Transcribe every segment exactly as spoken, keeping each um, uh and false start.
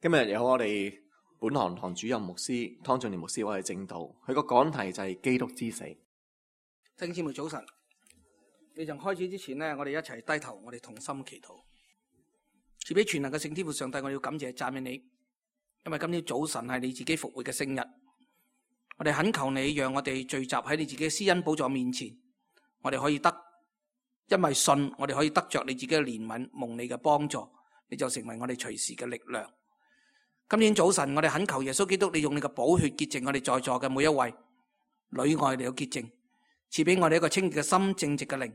今日有我哋本堂堂主任牧師湯俊年牧師，我哋正道，佢個講題就係基督之死。弟兄姊妹早晨，你從開始之前呢，我哋一齊低頭，我哋同心祈禱。賜俾全能嘅聖天父上帝，我哋要感謝讚美你，因為今天早晨係你自己復活嘅聖日。我哋懇求你，讓我哋聚集喺你自己嘅施恩寶座面前，我哋可以得，因為信，我哋可以得着你自己嘅憐憫，蒙你嘅幫助，你就成為我哋隨時嘅力量。今天早晨，我哋懇求耶穌基督，你用你嘅寶血潔淨我哋在座嘅每一位，裏外你有潔淨，賜俾我哋一個清潔嘅心，正直嘅靈。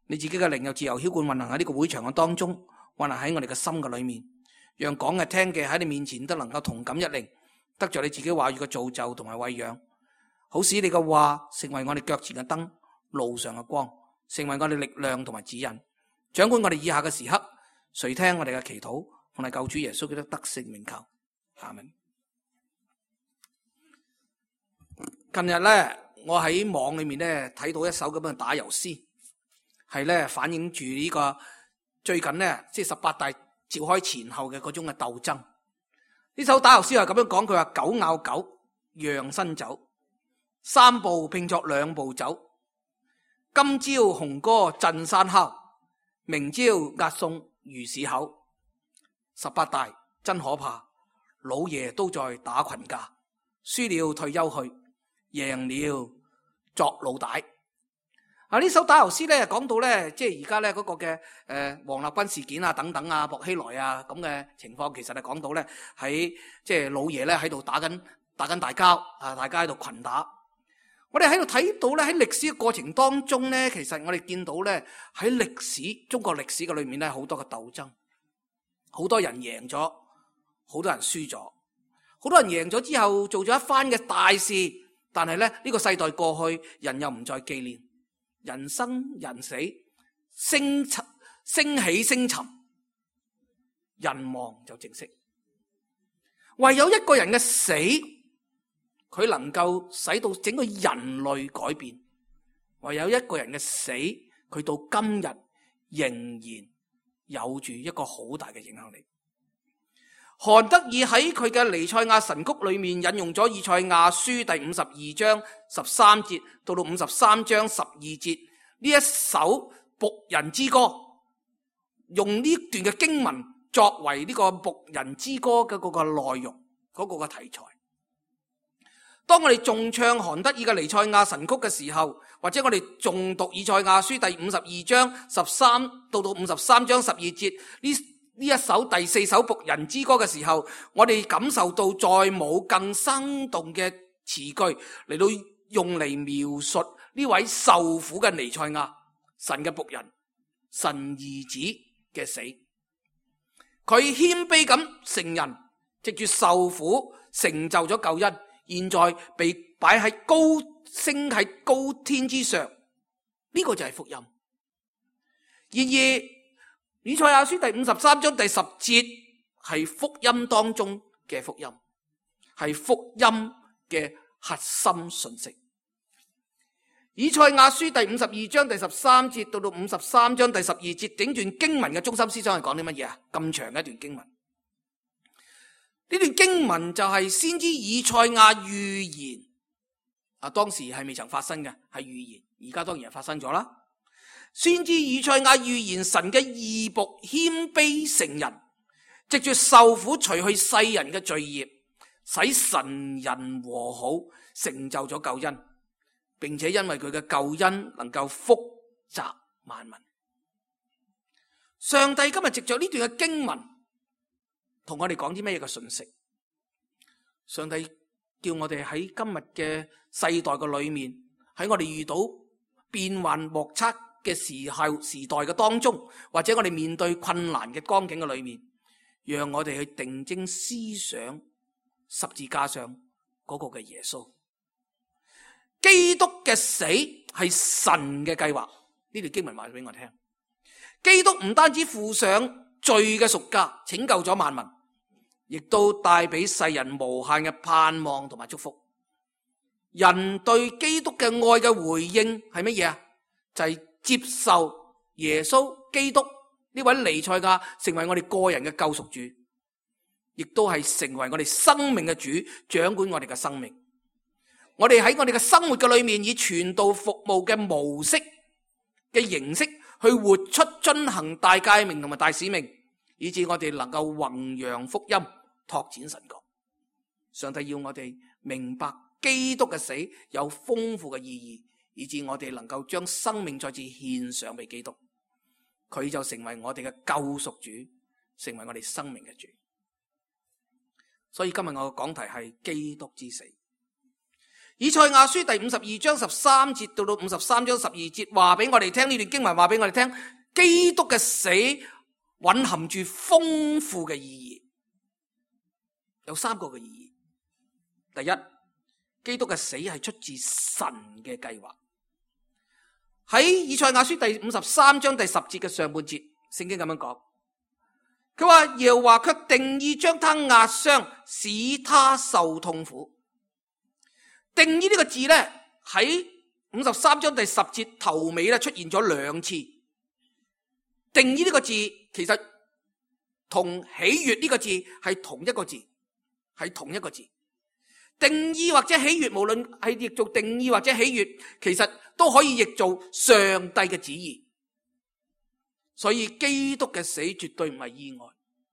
你自己嘅靈又自由澆灌運行喺呢個會場嘅當中，運行喺我哋嘅心嘅裏面，讓講嘅聽嘅喺你面前都能夠同感一靈，得着你自己話語嘅造就同埋餵養，好使你嘅話成為我哋腳前嘅燈，路上嘅光，成為我哋力量同埋指引，掌管我哋以下嘅時刻。垂聽我哋嘅祈禱，奉係救主耶穌基督得勝名求。阿們。近日咧，我喺網裏面咧睇到一首咁嘅打油詩，係咧反映住呢個最近咧即係十八大召開前後嘅嗰種嘅鬥爭。呢首打油詩係咁樣講，佢話狗咬狗，讓新酒，三步拼作兩步走。今朝紅歌震山敲，明朝押送魚市口。十八大真可怕。老爺都在打群架，輸了退休去，贏了作老大。啊！呢首打油詩咧講到咧，即係而家咧嗰個嘅誒黃立軍事件啊等等啊，薄熙來啊咁嘅情況，其實係講到咧喺即係老爺咧喺度打緊打緊大交啊，大家喺度群打。我哋喺度睇到咧喺歷史嘅過程當中咧，其實我哋見到咧喺歷史中國歷史嘅裏面咧好多嘅鬥爭，好多人贏咗。好多人輸咗，好多人贏咗之後做咗一番嘅大事，但係咧呢個世代過去，人又唔再紀念，人生人死，升沉升起升沉，人亡就正式。唯有一個人嘅死，佢能夠使到整個人類改變。唯有一個人嘅死，佢到今日仍然有住一個好大嘅影響力。韓德爾喺佢嘅彌賽亞神曲裏面引用咗以賽亞書第五十二章十三節到到五十三章十二節呢一首僕人之歌，用呢段嘅經文作為呢個僕人之歌嘅嗰個內容，嗰個嘅題材。當我哋重唱韓德爾嘅彌賽亞神曲嘅時候，或者我哋重讀以賽亞書第五十二章十三到到五十三章十二節呢呢一首第四首僕人之歌嘅時候，我哋感受到再冇更生動嘅詞句嚟到用嚟描述呢位受苦嘅彌賽亞，神嘅僕人，神兒子嘅死。佢謙卑咁成人，藉住受苦成就咗救恩，現在被擺喺高升喺高天之上，呢個就係福音。然而以賽亞書第五十三章第十節係福音當中嘅福音，係福音嘅核心信息。以賽亞書第五十二章第十三節到到五十三章第十二節，整段經文嘅中心思想係講啲乜嘢啊？咁長嘅一段經文，呢段經文就係先知以賽亞預言啊，當時係未曾發生嘅，係預言，而家當然係發生咗啦。先知以賽亞預言神嘅義僕謙卑成人，藉住受苦除去世人嘅罪孽，使神人和好，成就咗救恩，並且因為佢嘅救恩能夠福澤萬民。上帝今日藉着呢段嘅經文同我哋講啲咩嘅信息？上帝叫我哋喺今日嘅世代嘅裏面，喺我哋遇到變幻莫測嘅時候時代嘅當中，或者我哋面對困難嘅光景嘅裏面，讓我哋去定睛思想十字架上嗰個嘅耶穌。基督嘅死係神嘅計劃，呢條經文話俾我聽。基督唔單止付上罪嘅贖價，拯救咗萬民，亦都帶俾世人無限嘅盼望同埋祝福。人對基督嘅愛嘅回應係乜嘢啊？就係、是接受耶穌基督呢位彌賽亞成為我哋個人嘅救贖主，亦都係成為我哋生命嘅主，掌管我哋嘅生命。我哋喺我哋嘅生活嘅裏面，以傳道服務嘅模式嘅形式去活出遵行大誡命同埋大使命，以致我哋能夠弘揚福音，拓展神國。上帝要我哋明白基督嘅死有豐富嘅意義，以致我哋能夠將生命再次獻上俾基督，佢就成為我哋嘅救贖主，成為我哋生命嘅主。所以今日我嘅講題係基督之死。以賽亞書第五十二章十三節到到五十三章十二節，話俾我哋聽，呢段經文話俾我哋聽，基督嘅死蘊含住豐富嘅意義，有三個嘅意義。第一，基督嘅死係出自神嘅計劃。喺以賽亞書第五十三章第十節嘅上半節，聖經咁樣講，佢話耶和華卻定意將他壓傷，使他受痛苦。定意呢個字咧，喺五十三章第十節頭尾咧出現咗兩次。定意呢個字其實同喜悅呢個字係同一個字，係同一個字。定意或者喜悅，無論係譯做定意或者喜悅，其實都可以譯做上帝嘅旨意。所以基督嘅死絕對唔係意外，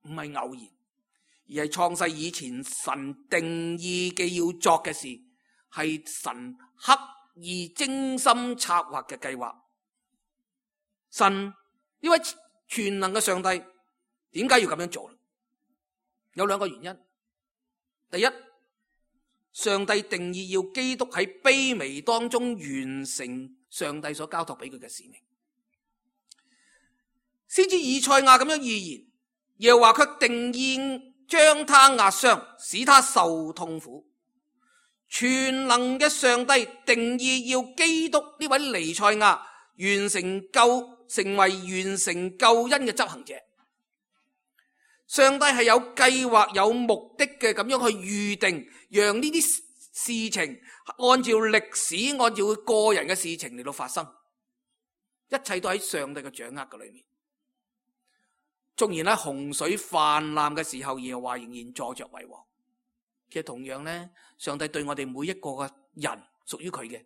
唔係偶然，而係創世以前神定意嘅要作嘅事，係神刻意精心策劃嘅計劃。神呢位全能嘅上帝點解要咁樣做？有兩個原因。第一，上帝定意要基督喺卑微當中完成上帝所交託俾佢嘅使命。先知以賽亞咁樣預言，耶和華卻定意將他壓傷，使他受痛苦。全能嘅上帝定意要基督呢位彌賽亞完成救，成為完成救恩嘅執行者。上帝係有計劃、有目的嘅咁樣去預定，讓呢啲事情按照歷史、按照佢個人嘅事情嚟到發生，一切都喺上帝嘅掌握嘅裏面。縱然喺洪水泛濫嘅時候，耶和華仍然坐着為王。其實同樣咧，上帝對我哋每一個嘅人，屬於佢嘅，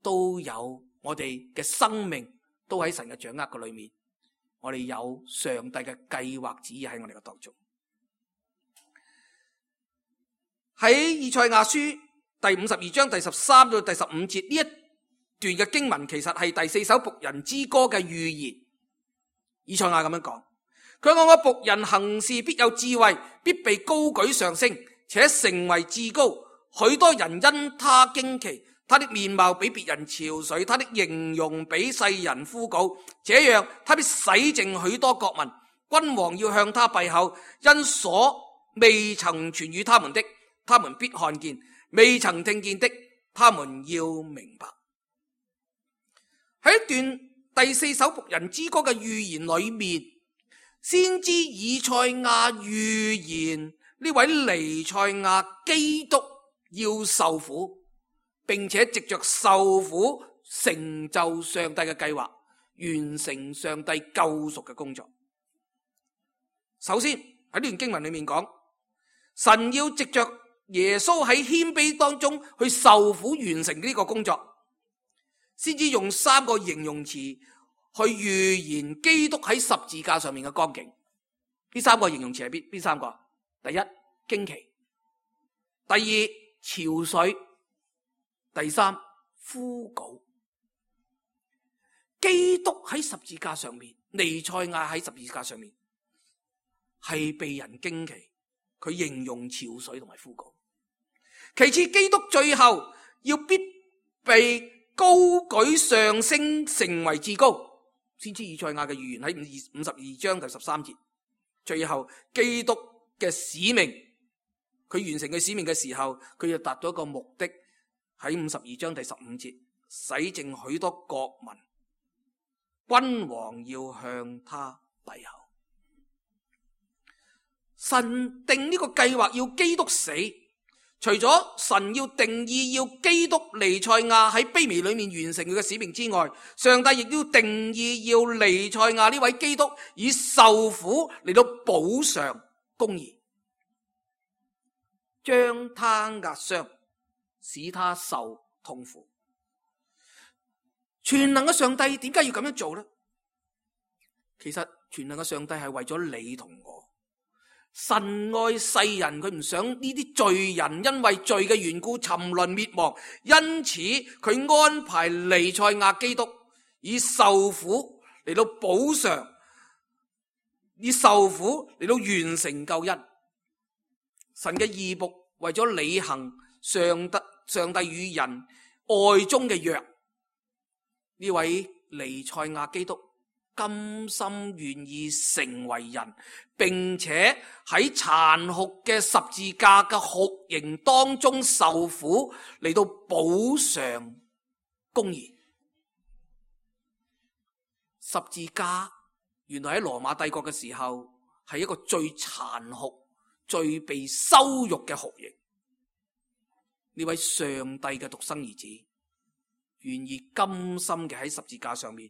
都有我哋嘅生命，都喺神嘅掌握嘅裏面。我哋有上帝嘅計劃旨意喺我哋嘅當中。喺以賽亞書第五十二章第十三到第十五節呢一段嘅經文，其實係第四首僕人之歌嘅預言。以賽亞咁樣講，佢話我僕人行事必有智慧，必被高舉上升，且成為至高，許多人因他驚奇，他的面貌比別人憔悴，他的形容比世人枯槁，這樣他必洗淨許多國民，君王要向他閉口，因所未曾傳與他們的，他們必看見，未曾聽見的，他們要明白。喺一段第四首僕人之歌嘅預言裏面，先知以賽亞預言呢位彌賽亞基督要受苦，並且藉着受苦成就上帝嘅計劃，完成上帝救贖嘅工作。首先喺呢段經文裏面講，神要藉着耶穌喺謙卑當中去受苦，完成呢個工作，先至用三個形容詞去預言基督喺十字架上面嘅光景。呢三個形容詞係邊邊三個？第一，驚奇；第二，憔悴；第三，枯槁。基督喺十字架上面，彌賽亞喺十字架上面係被人驚奇，佢形容憔悴同埋枯槁。其次，基督最後要必被高舉上升，成為至高。先知以賽亞嘅預言喺五十二章第十三節。最後基督嘅使命，佢完成佢使命嘅時候，佢就達到一個目的，喺五十二章第十五節，洗淨許多國民，君王要向他閉口。神定呢個計劃要基督死，除咗神要定義要基督彌賽亞喺卑微裏面完成佢嘅使命之外，上帝亦都定義要彌賽亞呢位基督以受苦嚟到補償公義。將他壓傷，使他受痛苦。全能嘅上帝點解要咁樣做呢？其實全能嘅上帝係為咗你同我。神愛世人，佢唔想呢啲罪人因為罪嘅緣故沉淪滅亡，因此佢安排彌賽亞基督以受苦嚟到補償，以受苦嚟到完成救恩。神嘅義僕為咗履行上帝上帝與人愛中嘅約，呢位彌賽亞基督甘心願意成為人，並且喺殘酷嘅十字架嘅酷刑當中受苦，嚟到補償公義。十字架原來喺羅馬帝國嘅時候係一個最殘酷、最被羞辱嘅酷刑。呢位上帝嘅獨生兒子願意甘心嘅喺十字架上面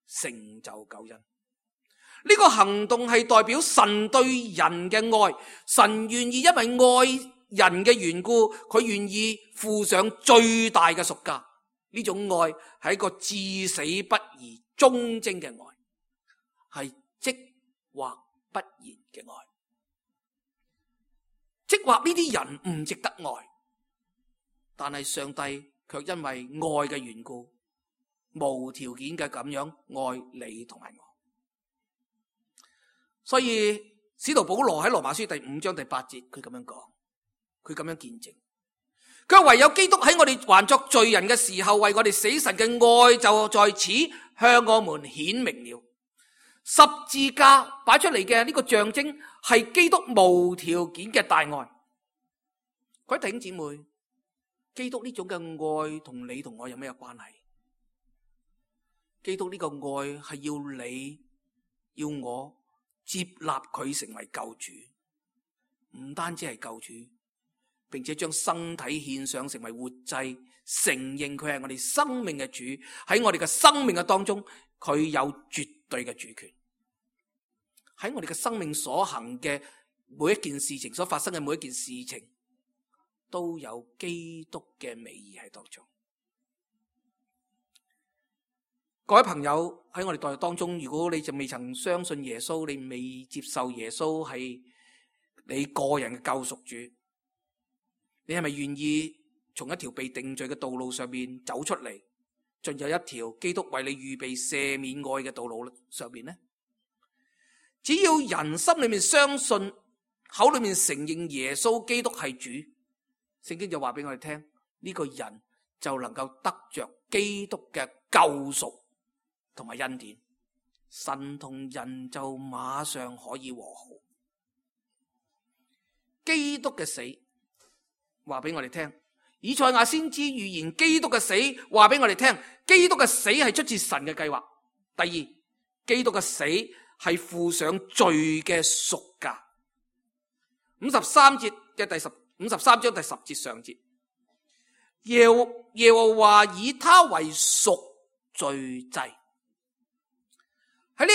成就救恩。呢個行動係代表神對人嘅愛，神願意因為愛人嘅緣故，佢願意付上最大嘅贖價。呢種愛係一個至死不移、忠貞嘅愛，係即或不言嘅愛。即或呢啲人唔值得愛，但係上帝卻因為愛嘅緣故，無條件嘅咁樣愛你同埋我。所以使徒保羅喺羅馬書第五章第八節，佢咁樣講，佢咁樣見證，佢唯有基督喺我哋還作罪人嘅時候，為我哋死，神嘅愛就在此向我們顯明了。十字架擺出嚟嘅呢個象徵係基督無條件嘅大愛。各位弟兄姊妹，基督呢種嘅愛同你同我有咩關係？基督呢個愛係要你要我接納佢成為救主，唔單止係救主，並且將身體獻上成為活祭，承認佢係我哋生命嘅主。喺我哋嘅生命嘅當中，佢有絕對嘅主權。喺我哋嘅生命所行嘅每一件事情，所發生嘅每一件事情，都有基督嘅美意喺當中。各位朋友，喺我哋代當中，如果你就未曾相信耶穌，你未接受耶穌係你個人嘅救贖主，你係咪願意從一條被定罪嘅道路上面走出嚟，進入一條基督為你預備赦免愛嘅道路上面呢？只要人心裏面相信，口裏面承認耶穌基督係主，聖經就話俾我哋聽，呢個人就能夠得着基督嘅救贖同埋恩典，神同人就馬上可以和好。基督嘅死話俾我哋聽，以賽亞先知預言基督嘅死話俾我哋聽，基督嘅死係出自神嘅計劃。第二，基督嘅死係付上罪嘅贖價。五十三節嘅第十五十三章第十節上節，耶耶和華以他為贖罪祭。喺呢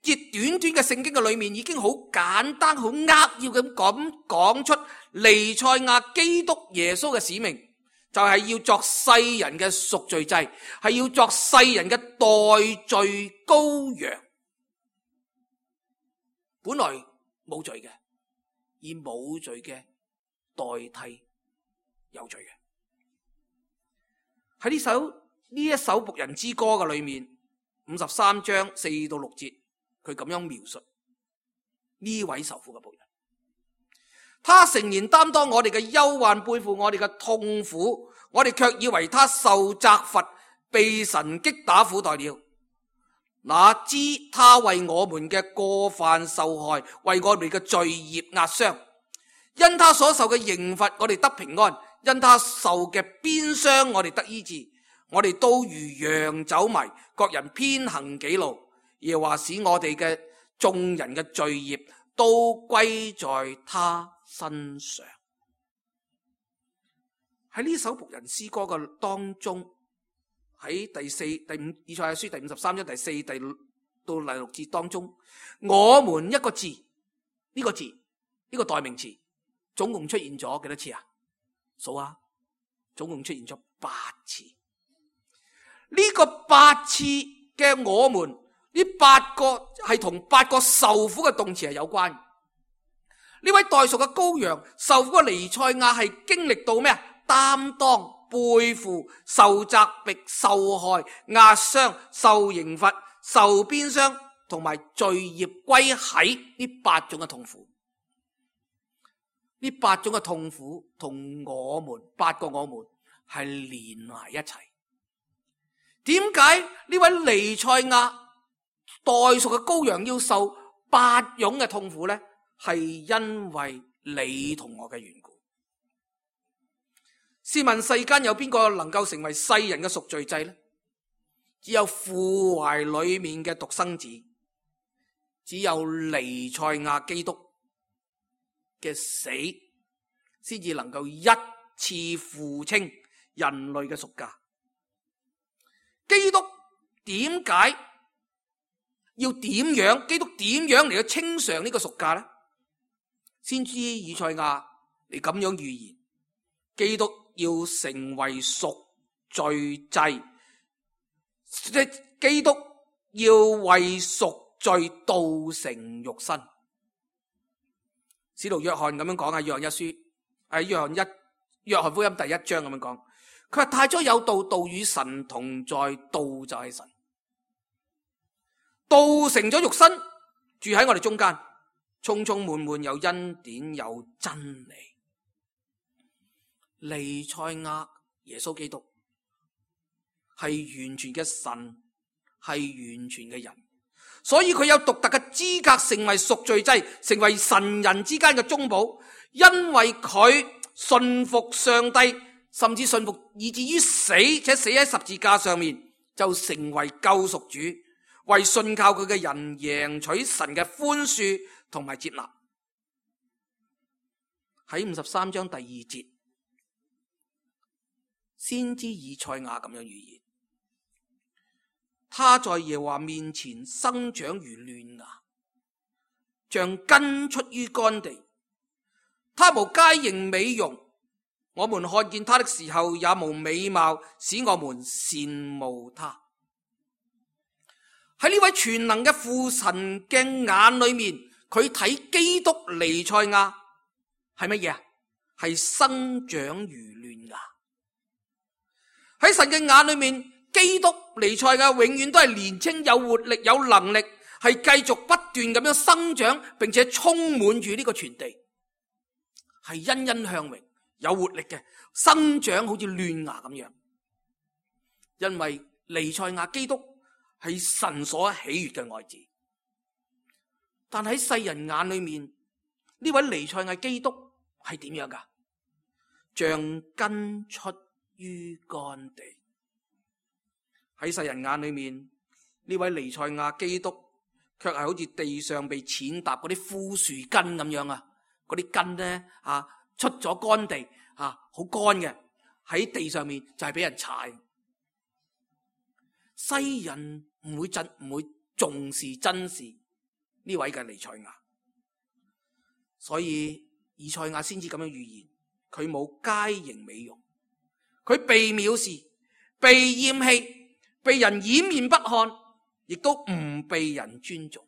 一節短短嘅聖經嘅裏面，已經好簡單、好扼要咁講講出彌賽亞基督耶穌嘅使命，就係要作世人嘅贖罪祭，係要作世人嘅代罪羔羊。本來冇罪嘅，以冇罪嘅代替有罪嘅。喺呢首呢一首僕人之歌嘅裏面，五十三章四到六節，佢咁樣描述呢位受苦嘅僕人。他誠然擔當我哋嘅憂患，背負我哋嘅痛苦，我哋卻以為他受責罰，被神擊打苦待了。哪知他為我們嘅過犯受害，為我哋嘅罪孽壓傷。因他所受嘅刑罰，我哋得平安；因他受嘅鞭傷，我哋得醫治。我哋都如羊走迷，各人偏行己路。耶和華使我哋嘅眾人嘅罪孽都歸在他身上。喺呢首僕人詩歌嘅當中，喺第四、第五以賽亞書第五十三章第四、第六到第六節當中，我們一個字，呢個字，呢個代名詞總共出現咗幾多次啊？數下，總共出現咗八次。呢個八次嘅我們，呢八個係同八個受苦嘅動詞係有關。呢位代贖嘅羔羊，受苦嘅彌賽亞係經歷到咩啊？擔當、背負、受責迫、受害、壓傷、受刑罰、受鞭傷，同埋罪孽歸喺呢八種嘅痛苦。呢八種嘅痛苦同我們八個我們係連埋一齊。點解呢位彌賽亞代贖嘅羔羊要受八種嘅痛苦呢？係因為你同我嘅緣故。試問世間有邊個能夠成為世人嘅贖罪祭呢？只有父懷裏面嘅獨生子，只有彌賽亞基督嘅死，先至能夠一次付清人類嘅贖價。基督點解要點樣？基督點樣嚟到清償呢個贖價呢？先知以賽亞你咁樣預言，基督要成為贖罪祭，即基督要為贖罪道成肉身。使徒約翰咁樣講，喺約翰一書，喺約翰一約翰福音第一章咁樣講，佢話太初有道，道與神同在，道就係神，道成咗肉身，住喺我哋中間，充充滿滿有恩典有真理。彌賽亞耶穌基督係完全嘅神，係完全嘅人，所以佢有獨特嘅資格成為贖罪祭，成為神人之間嘅中保。因為佢信服上帝，甚至信服以至於死，且死喺十字架上面，就成為救贖主，為信靠佢嘅人贏取神嘅寬恕同埋接納。喺五十三章第二節，先知以賽亞咁樣預言，他在耶和華面前生長如嫩芽，像根出於乾地。他無佳形美容，我們看見他的時候也無美貌，使我們羨慕他。喺呢位全能嘅父神嘅眼裏面，佢睇基督彌賽亞係乜嘢啊？係生長如嫩芽。喺神嘅眼裏面，基督彌賽亞永遠都係年輕、有活力、有能力，係繼續不斷咁樣生長，並且充滿住呢個全地，係欣欣向榮、有活力嘅生長，好似嫩芽咁樣。因為彌賽亞基督係神所喜悅嘅愛子，但喺世人眼裏面，呢位彌賽亞基督係點樣噶？像根出於乾地。喺世人眼裏面，呢位彌賽亞基督卻係好似地上被踐踏嗰啲枯樹根咁樣啊！嗰啲根咧啊，出咗乾地啊，好乾嘅，喺地上面就係俾人踩。世人唔會真唔會重視珍視呢位嘅彌賽亞，所以以賽亞先至咁樣預言，佢冇佳形美容，佢被藐視、被厭棄、被人掩面不看，亦都唔被人尊重。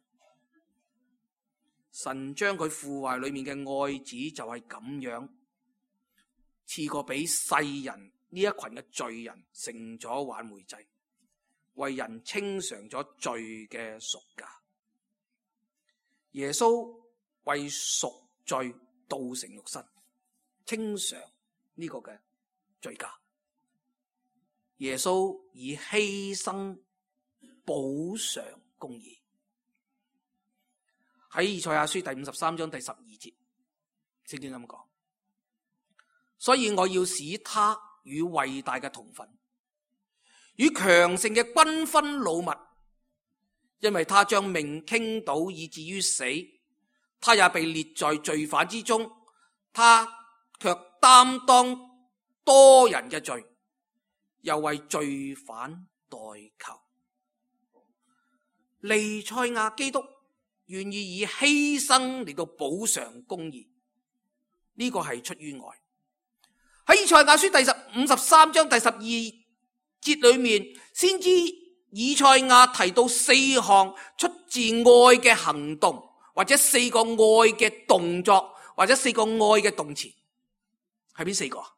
神將佢父懷裏面嘅愛子就係咁樣賜過俾世人呢一群嘅罪人，成咗挽回祭，為人清償咗罪嘅贖價。耶穌為贖罪道成肉身，清償呢個嘅罪價。耶穌以犧牲補償公義。喺以賽亞書第五十三章第十二節，聖經咁講，所以我要使他與偉大嘅同分，與強盛嘅均分擄物，因為他將命傾倒以至於死，他也被列在罪犯之中，他卻擔當多人嘅罪，又為罪犯代求。彌賽亞基督願意以犧牲嚟到補償公義，呢個係出於愛。喺以賽亞書第十五十三章第十二節裏面，先知以賽亞提到四項出自愛嘅行動，或者四個愛嘅動作，或者四個愛嘅動詞，係邊四個啊？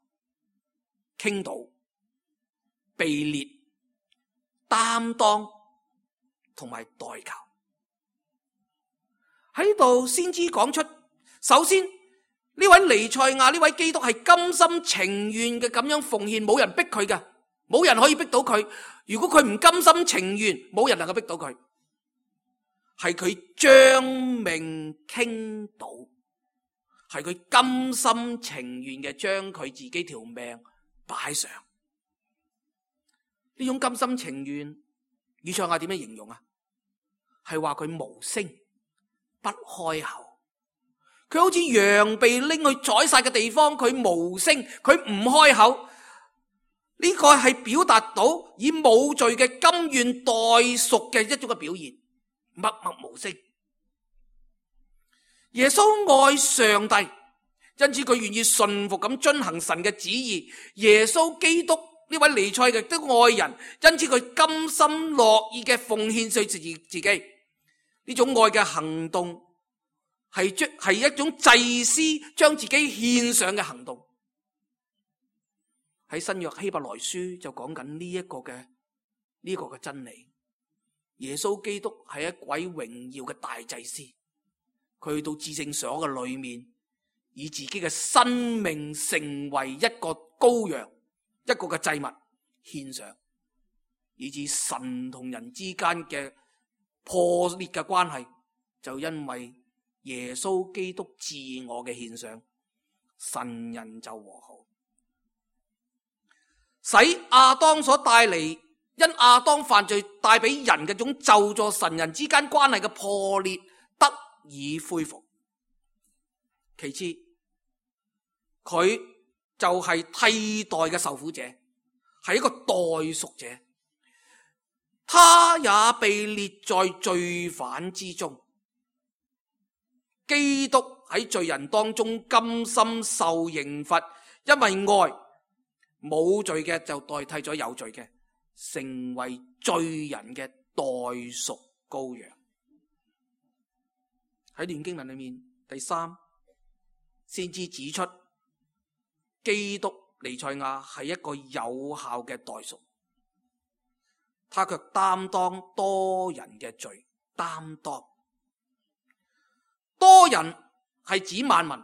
傾倒、被列、擔當同埋代求。喺度先知講出，首先呢位彌賽亞，呢位基督係甘心情願嘅咁樣奉獻，冇人逼佢嘅，冇人可以逼到佢。如果佢唔甘心情願，冇人能夠逼到佢。係佢將命傾倒，係佢甘心情願嘅將佢自己條命擺上。呢種甘心情願，以賽亞點樣形容啊？係話佢無聲不開口，佢好似羊被拎去宰殺嘅地方，佢無聲，佢唔開口。呢個係表達到以冇罪嘅甘願代贖嘅一種嘅表現，默默無聲。耶穌愛上帝，因此佢願意順服咁遵行神嘅旨意。耶穌基督呢位彌賽亞的愛人，因此佢甘心樂意嘅奉獻佢自自己。呢種愛嘅行動係將係一種祭司將自己獻上嘅行動。喺新約希伯來書就講緊呢一個嘅呢個嘅真理。耶穌基督係一位榮耀嘅大祭司，佢去到至聖所嘅裏面，以自己嘅生命成為一個羔羊，一個嘅祭物獻上，以致神同人之間嘅破裂嘅關係，就因為耶穌基督自我嘅獻上，神人就和好。使亞當所帶嚟，因亞當犯罪帶俾人嘅種咒詛，神人之間關係嘅破裂得以恢復。其次，佢就係替代嘅受苦者，係一個代贖者，他也被列在罪犯之中。基督喺罪人當中甘心受刑罰，因為愛。冇罪嘅就代替咗有罪嘅，成為罪人嘅代贖羔羊。喺段經文裏面，第三先知指出，基督彌賽亞係一個有效嘅代贖，他卻擔當多人嘅罪。擔當多人係指萬民。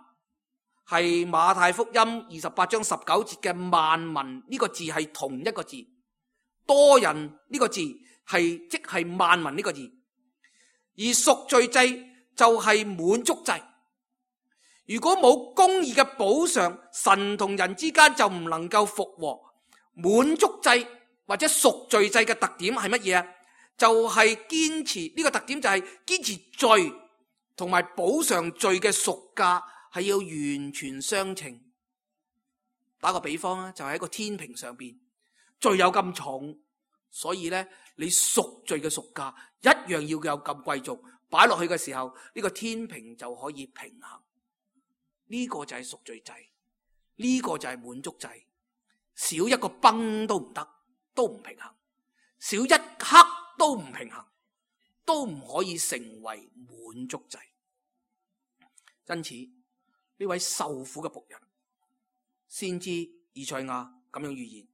係馬太福音二十八章十九節嘅萬民，呢個字係同一個字，多人呢個字係即係萬民呢個字，而贖罪祭就係滿足祭。如果冇公義嘅補償，神同人之間就唔能夠復和。滿足祭或者贖罪祭嘅特點係乜嘢啊？就係堅持，呢個特點就係堅持罪同埋補償罪嘅贖價係要完全相稱。打個比方啊，就係喺個天平上邊，罪有咁重，所以咧你贖罪嘅贖價一樣要有咁貴重，擺落去嘅時候，呢個天平就可以平衡。呢個就係贖罪祭，呢個就係滿足祭。少一個崩都唔得，都唔平衡；少一刻都唔平衡，都唔可以成為滿足祭。因此呢位受苦嘅僕人，先知以賽亞咁樣預言，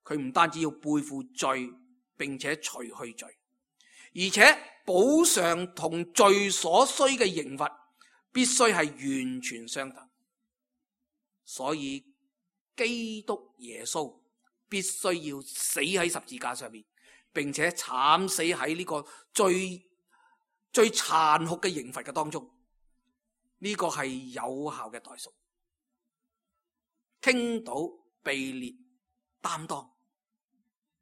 佢唔單止要背負罪，並且除去罪，而且補償同罪所需嘅刑罰必須係完全相等。所以基督耶穌必須要死喺十字架上面，並且慘死喺呢個最最殘酷嘅刑罰嘅當中。呢個係有效嘅代贖，傾倒、被列、擔當。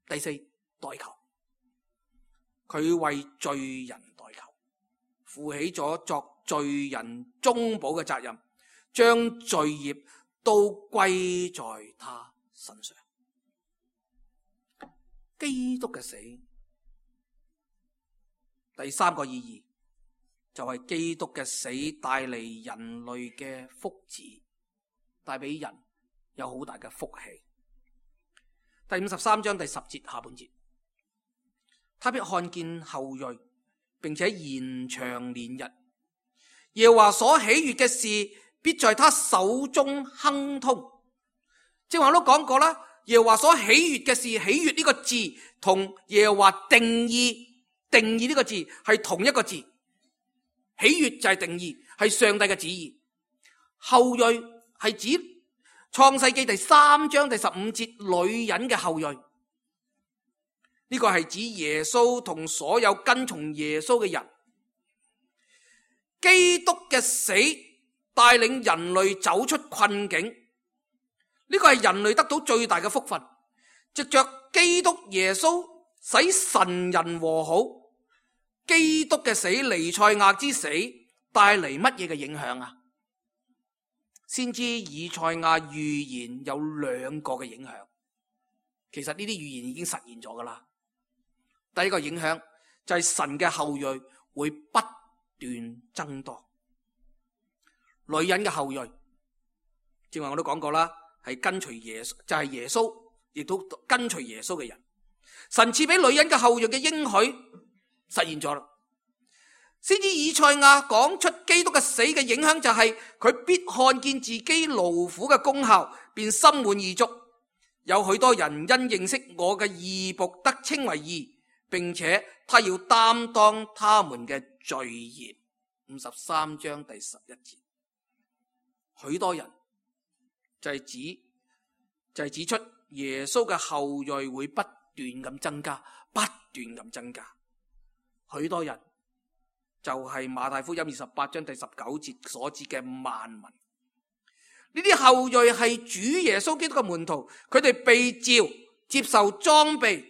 第四，代求，佢為罪人代求，負起咗作罪人中保嘅責任，將罪孽都歸在他身上。基督嘅死，第三個意義就係基督嘅死帶嚟人類嘅福祉。帶俾人有好大嘅福氣。第五十三章第十節下半節，他必看見後裔，並且延長年日。耶和華所喜悅嘅事，必在他手中亨通。正話我都講過啦，耶和華所喜悅嘅事，喜悅呢個字同耶和華定義定義呢個字係同一個字。喜悅就係定義，係上帝嘅旨意。後裔係指創世記第三章第十五節女人嘅後裔，呢個係指耶穌同所有跟從耶穌嘅人。基督嘅死帶領人類走出困境，呢個係人類得到最大嘅福分。藉着基督耶穌使神人和好，基督嘅死，彌賽亞之死帶嚟乜嘢嘅影響啊？先知以賽亞預言有兩個嘅影響，其實呢啲預言已經實現咗噶啦。第一個影響就係神嘅後裔會不斷增多，女人嘅後裔，正話我都講過啦，係跟隨耶穌，就係耶穌，亦都跟隨耶穌嘅人。神賜俾女人嘅後裔嘅應許實現咗啦。先知以賽亞講出基督嘅死嘅影響就係佢必看見自己勞苦嘅功效，便心滿意足。有許多人因認識我嘅義僕得稱為義，並且他要擔當他們嘅罪孽。五十三章第十一節，許多人就係指就係指出耶穌嘅後裔會不斷咁增加，不斷咁增加。許多人就係馬太福音二十八章第十九節所指嘅萬民。呢啲後裔係主耶穌基督嘅門徒，佢哋被召接受裝備，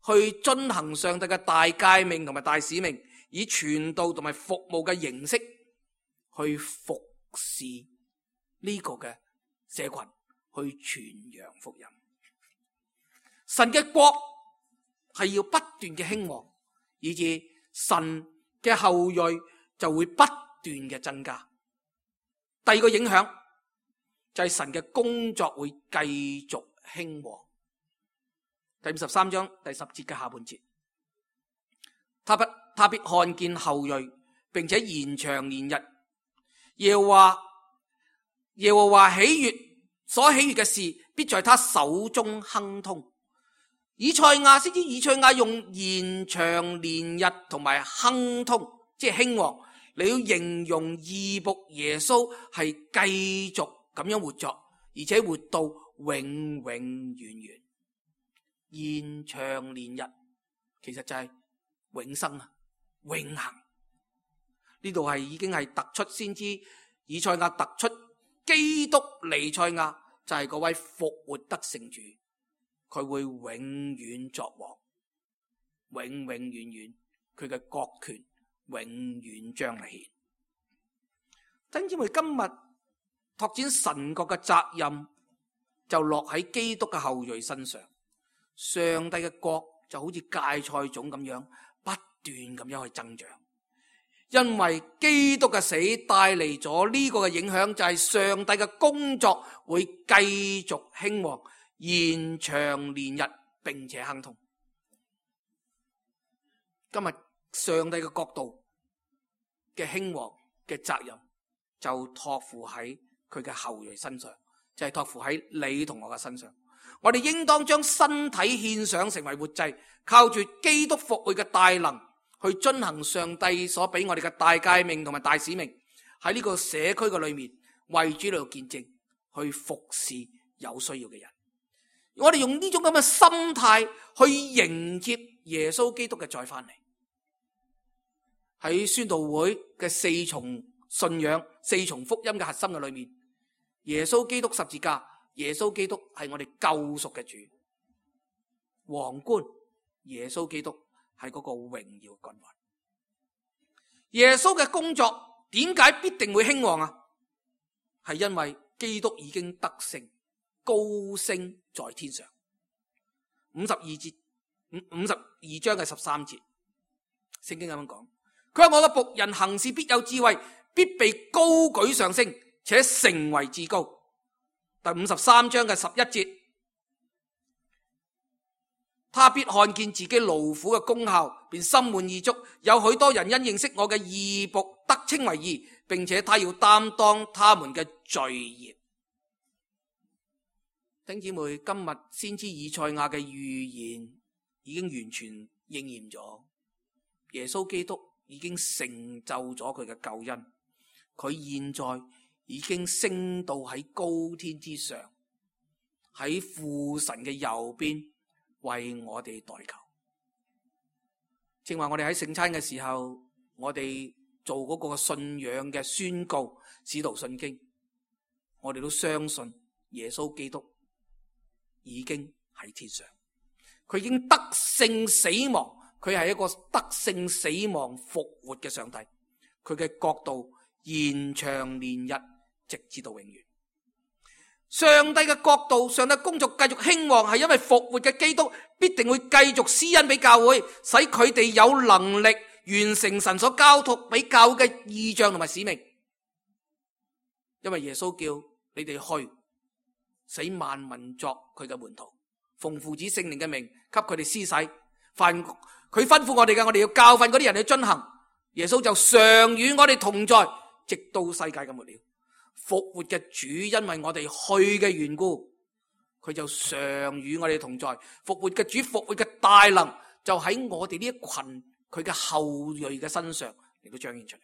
去遵行上帝嘅大誡命同埋大使命，以傳道同埋服務嘅形式去服侍呢個嘅社群，去傳揚福音。神嘅國係要不斷嘅興旺，以致神嘅後裔就會不斷嘅增加。第二個影響就係神嘅工作會繼續興旺。第五十三章第十節嘅下半節，他不他必看見後裔，並且延長年日。耶和華耶和華喜悅所喜悅嘅事，必在他手中亨通。以賽亞先知以賽亞用延長年日同埋亨通，即係興旺，你要形容義僕耶穌係繼續咁樣活着，而且活到永永遠遠。延長年日其實就係永生啊，永恆。呢度係已經係突出先知以賽亞突出基督彌賽亞就係嗰位復活得勝主。佢會永遠作王，永永遠遠，佢嘅國權永遠彰顯。弟兄姊妹，今日拓展神國嘅責任就落喺基督嘅後裔身上。上帝嘅國就好似芥菜種咁樣不斷咁樣去增長，因為基督嘅死帶嚟咗呢個嘅影響，就係上帝嘅工作會繼續興旺，延長年日，並且亨通。今日上帝嘅國度嘅興旺嘅責任就託付喺佢嘅後裔身上，就係託付喺你同我嘅身上。我哋應當將身體獻上成為活祭，靠住基督復活嘅大能去遵行上帝所俾我哋嘅大誡命同埋大使命，喺呢個社區嘅裏面為主嚟見證，去服侍有需要嘅人。我哋用呢種咁嘅心態去迎接耶穌基督嘅再翻嚟。喺宣道會嘅四重信仰、四重福音嘅核心嘅裏面，耶穌基督十字架，耶穌基督係我哋救贖嘅主。皇冠，耶穌基督係嗰個榮耀嘅君王。耶穌嘅工作點解必定會興旺啊？係因為基督已經得勝，高升在天上。五十二節，五五十二章嘅十三節，聖經咁樣講，佢話我嘅僕人行事必有智慧，必被高舉上升，且成為至高。第五十三章嘅十一節，他必看見自己勞苦嘅功效，便心滿意足。有許多人因認識我嘅義僕得稱為義，並且他要擔當他們嘅罪孽。弟兄姊妹，今日先知以賽亞嘅預言已經完全應驗咗，耶穌基督已經成就咗佢嘅救恩，佢現在已經升到喺高天之上，喺父神嘅右邊為我哋代求。正話我哋喺聖餐嘅時候，我哋做嗰個信仰嘅宣告，使徒信經，我哋都相信耶穌基督已經喺天上，佢已經得勝死亡，佢係一個得勝死亡復活嘅上帝，佢嘅國度延長年日，直至到永遠。上帝嘅國度，上帝工作繼續興旺，係因為復活嘅基督必定會繼續施恩俾教會，使佢哋有能力完成神所交託俾教會嘅異象同埋使命。因為耶穌叫你哋去，使萬民作佢嘅門徒，奉父子聖靈嘅名給佢哋施洗。凡佢吩咐我哋嘅，我哋要教訓嗰啲人去遵行。耶穌就常與我哋同在，直到世界嘅末了。復活嘅主因為我哋去嘅緣故，佢就常與我哋同在。復活嘅主，復活嘅大能就喺我哋呢一群佢嘅後裔嘅身上嚟到彰顯出嚟。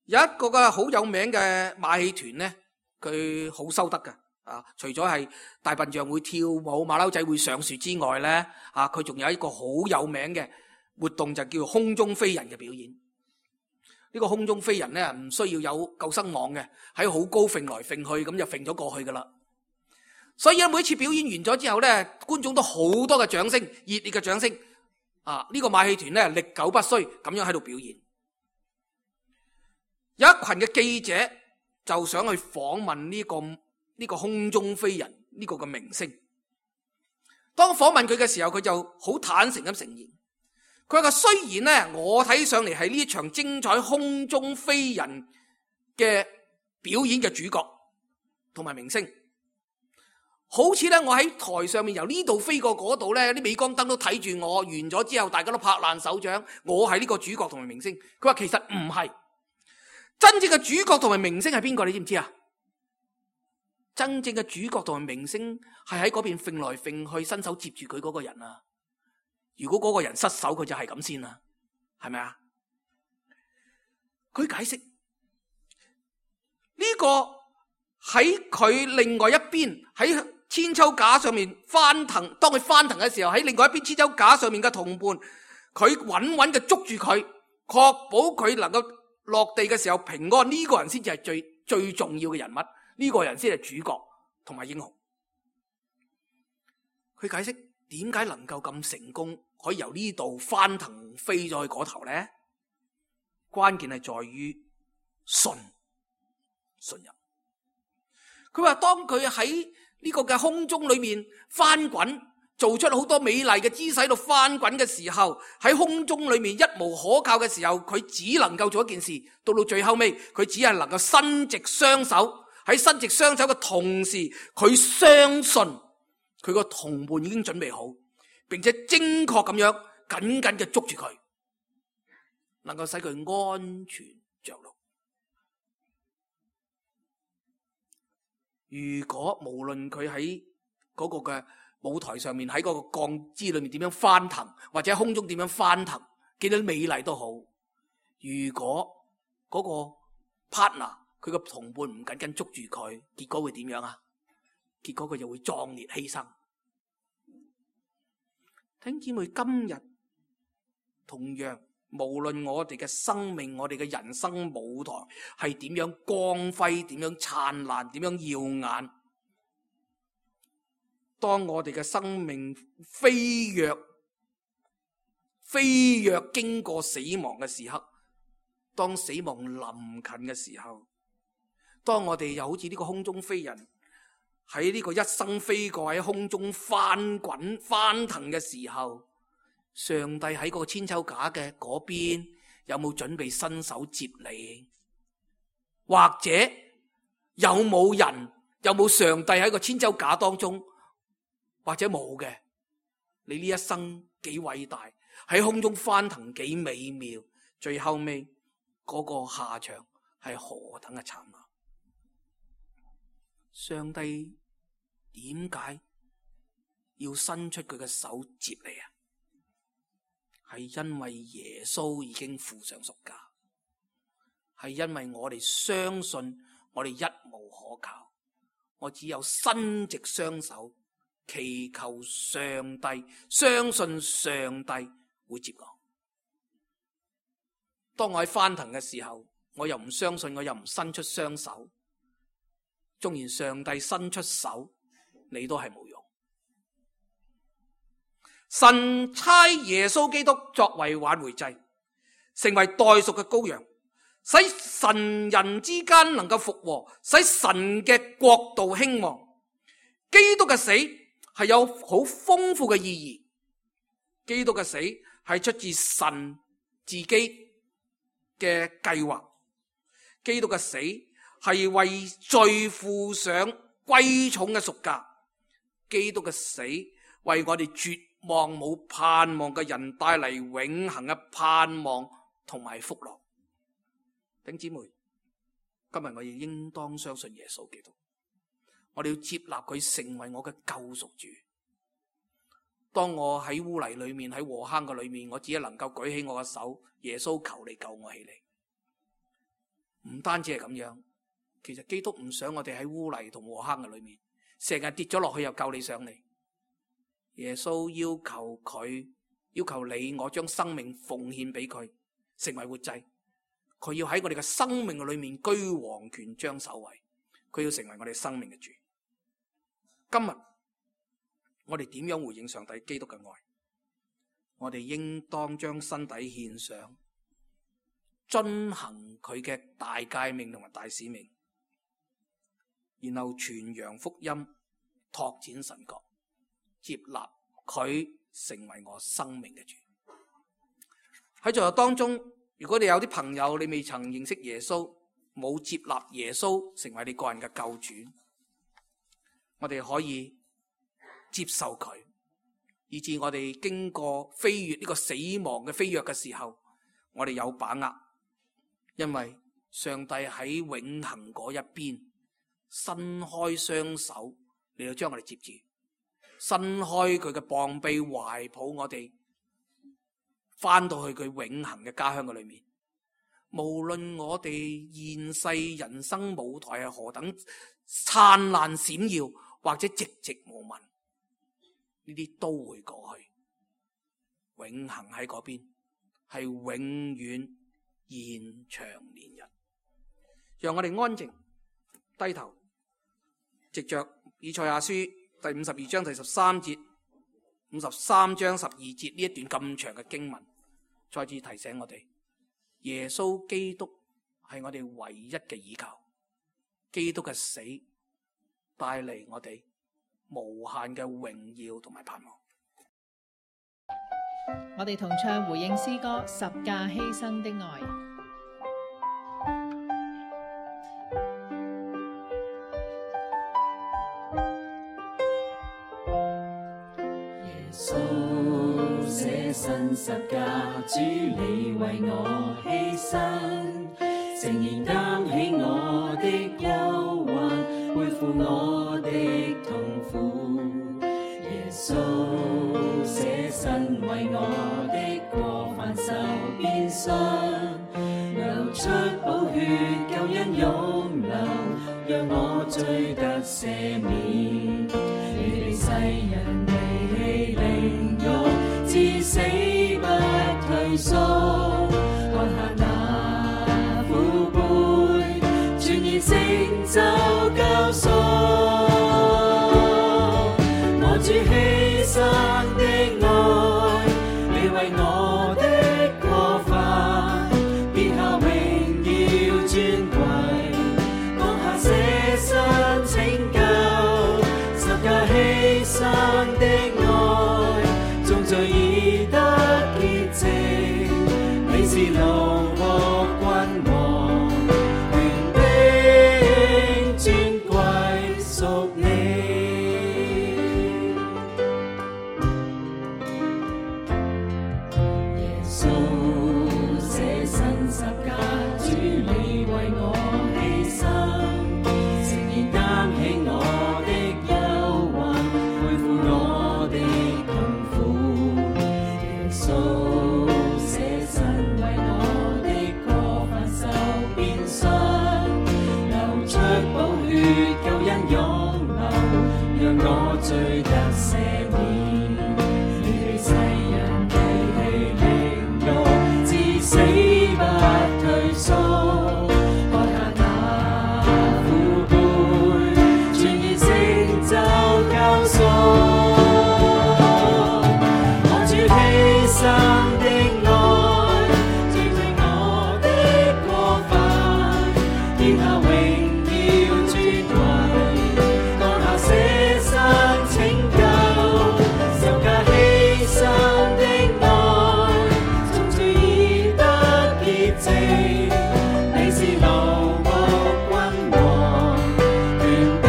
有一個嘅好有名嘅馬戲團呢，佢好收得㗎啊！除咗係大笨象會跳舞、馬騮仔會上樹之外呢，啊，佢仲有一個好有名嘅活動，就叫空中飛人嘅表演。呢個空中飛人咧，唔需要有救生網嘅，喺好高揈來揈去，咁就揈咗過去噶啦。所以咧，每次表演完咗之後咧，觀眾都好多嘅掌聲，熱烈嘅掌聲。啊，呢個馬戲團咧，歷久不衰，咁樣喺度表演。有一群嘅記者就想去訪問呢個呢個空中飛人呢個嘅明星。當訪問佢嘅時候，佢就好坦誠咁承認。佢話雖然咧，我睇上嚟係呢場精彩空中飛人嘅表演嘅主角同埋明星，好似咧我喺台上面由呢度飛過嗰度咧，啲鎂光燈都睇住我，完咗之後大家都拍爛手掌，我係呢個主角同埋明星。佢話其實唔係，真正嘅主角同埋明星係邊個？你知唔知啊？真正嘅主角同埋明星係喺嗰邊揈來揈去，伸手接住佢嗰個人啊！如果嗰個人失手，佢就係咁先啦，係咪啊？佢解釋呢個喺佢另外一邊喺千秋架上面翻騰，當佢翻騰嘅時候，喺另外一邊千秋架上面嘅同伴，佢穩穩嘅捉住佢，確保佢能夠落地嘅時候平安。呢個人先至係最最重要嘅人物，呢個人先係主角同埋英雄。佢解釋點解能夠咁成功，可以由呢度翻騰飛咗去嗰頭呢？關鍵係在於信信任。佢話當佢喺呢個嘅空中裏面翻滾，做出好多美麗嘅姿勢度翻滾嘅時候，喺空中裏面一無可靠嘅時候，佢只能夠做一件事。到到最後尾，佢只係能夠伸直雙手。喺伸直雙手嘅同時，佢相信佢個同伴已經準備好，並且精確咁樣緊緊嘅捉住佢，能夠使佢安全着陸。如果無論佢喺嗰個嘅舞台上面，喺嗰個鋼枝裏面點樣翻騰，或者空中點樣翻騰，幾多美麗都好，如果嗰個 partner 佢個同伴唔緊緊捉住佢，結果會點樣啊？結果佢就會壯烈犧牲。弟兄姊妹，今日同樣，無論我哋嘅生命，我哋嘅人生舞台係點樣光輝，點樣燦爛，點樣耀眼，當我哋嘅生命飛躍飛躍經過死亡嘅時刻，當死亡臨近嘅時候，當我哋又好似呢個空中飛人喺呢個一生飛過喺空中翻滾翻騰嘅時候，上帝喺個千秋架嘅嗰邊有冇準備伸手接你？或者有冇人，有冇上帝喺個千秋架當中，或者冇嘅？你呢一生幾偉大，喺空中翻騰幾美妙，最後尾嗰個下場係何等嘅慘啊！上帝點解要伸出佢嘅手接你啊？係因為耶穌已經付上贖價，係因為我哋相信我哋一無可靠，我只有伸直雙手祈求上帝，相信上帝會接我。當我喺翻騰嘅時候，我又唔相信，我又唔伸出雙手，縱然上帝伸出手，你都係冇用。神差耶穌基督作為挽回祭，成為代贖嘅羔羊，使神人之間能夠復和，使神嘅國度興旺。基督嘅死係有好豐富嘅意義，基督嘅死係出自神自己嘅計劃，基督嘅死係為罪付上貴重嘅贖價，基督嘅死為我哋絕望冇盼望嘅人帶嚟永恆嘅盼望同埋福樂。弟兄姊妹，今日我亦應當相信耶穌基督，我哋要接納佢成為我嘅救贖主。當我喺污泥裏面，喺禍坑嘅裏面，我只係能夠舉起我嘅手，耶穌求你救我起嚟。唔單止係咁樣，其實基督唔想我哋喺污泥同禍坑嘅裏面，成日跌咗落去又救你上嚟。耶穌要求佢，要求你我將生命奉獻俾佢，成為活祭。佢要喺我哋嘅生命嘅裏面居王權將首位，佢要成為我哋生命嘅主。今日我哋點樣回應上帝基督嘅愛？我哋應當將身體獻上，遵行佢嘅大誡命同埋大使命，然後傳揚福音，拓展神國，接納佢成為我生命嘅主。喺最後當中，如果你有啲朋友你未曾認識耶穌，冇接納耶穌成為你個人嘅救主，我哋可以接受佢，以致我哋經過飛越呢個死亡嘅飛躍嘅時候，我哋有把握，因為上帝喺永恆嗰一邊伸開雙手嚟到將我哋接住，伸開佢嘅膀臂懷抱我哋，翻到去佢永恆嘅家鄉嘅裏面。無論我哋現世人生舞台係何等燦爛閃耀，或者寂寂無聞，呢啲都會過去。永恆喺嗰邊係永遠延長年日。讓我哋安靜低頭，藉着以賽亞書第五十二章第十三節、五十三章十二節呢一段咁長嘅經文，再次提醒我哋，耶穌基督係我哋唯一嘅依靠。基督嘅死帶嚟我哋無限嘅榮耀同埋盼望。我哋同唱回應詩歌《十架犧牲的愛》。耶穌捨身十架，主你為我犧牲，誠然擔起我的憂患，背負我的痛苦。耶穌捨身為我的過犯受鞭傷，流出寶血救恩湧流，讓我罪得赦免。你哋世人離棄凌辱，至死不退縮，看下那苦杯，全然成就救贖。我主犧牲的愛，你為我的過犯，別下榮耀尊貴，當下捨身拯救，十架犧牲的愛，眾罪已得潔淨，你是龍和君王權的主。我罪得赦免，離世人離棄凌辱，至死不退縮，看下那苦杯，全然成就救贖。我主犧牲的愛，除去我的過犯，天下榮耀尊貴，降下捨身拯救，十架犧牲的愛，從主已得潔淨。你是奴僕君王，權柄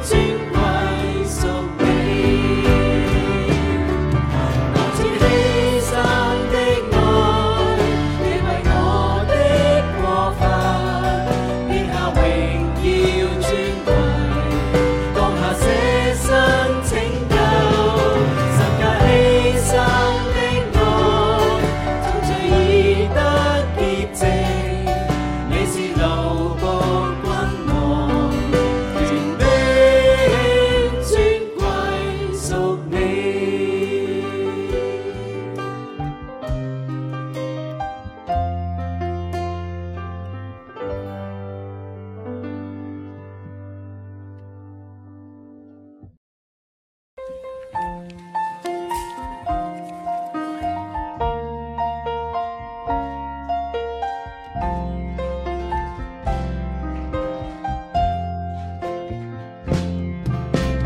尊貴屬你。我主犧牲的愛，你為我的過犯，天下榮耀尊貴，降下捨身拯救，十架犧牲的愛，從罪已得潔淨。你是奴僕君王，權柄尊貴屬你。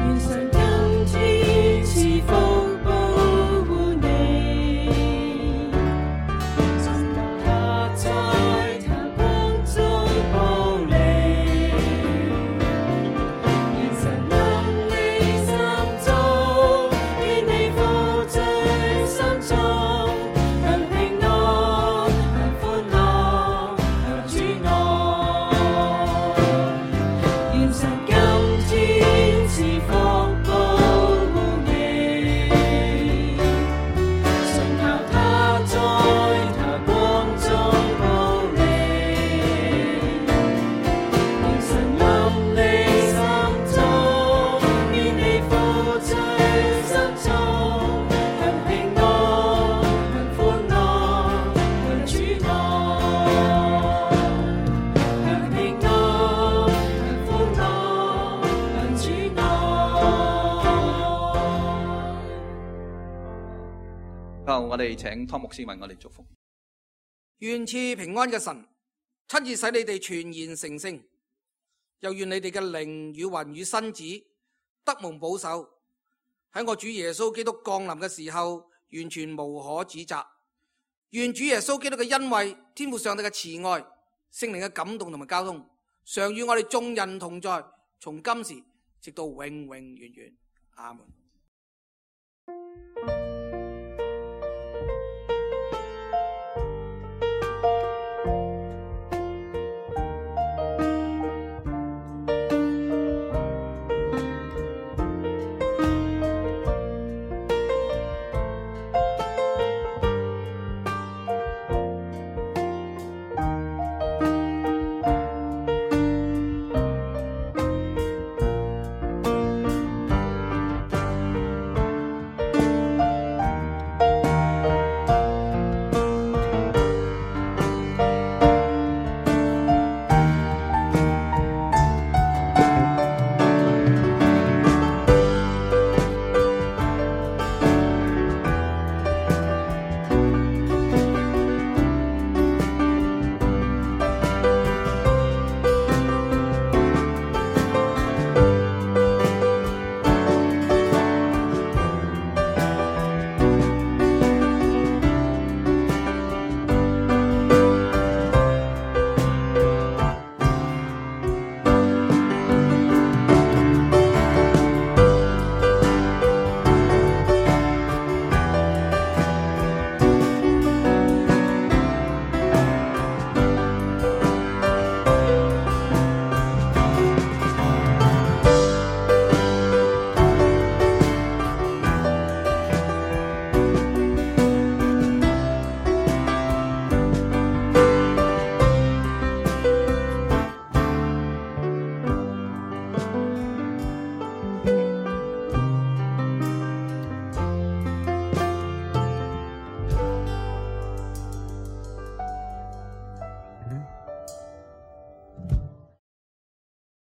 願神今天賜福保護你，神留他在他光中保你。願神臨你心中，願你負罪心中，享平安，享歡樂，享主愛。願神今天賜福保護你，信靠他在他光中保你。願神臨你心中，願你負罪心中，享平安，享歡樂，享主愛。享平安，享歡樂，享主愛。好，我哋請湯牧師為我哋祝福。願賜平安嘅神親自使你哋全然成聖，又願你哋嘅靈與魂與身子得蒙保守，喺我主耶穌基督降臨嘅時候完全無可指責。願主耶穌基督嘅恩惠、天父上帝嘅慈愛、聖靈嘅感動同埋交通，常與我哋眾人同在，從今時直到永永遠遠。阿門。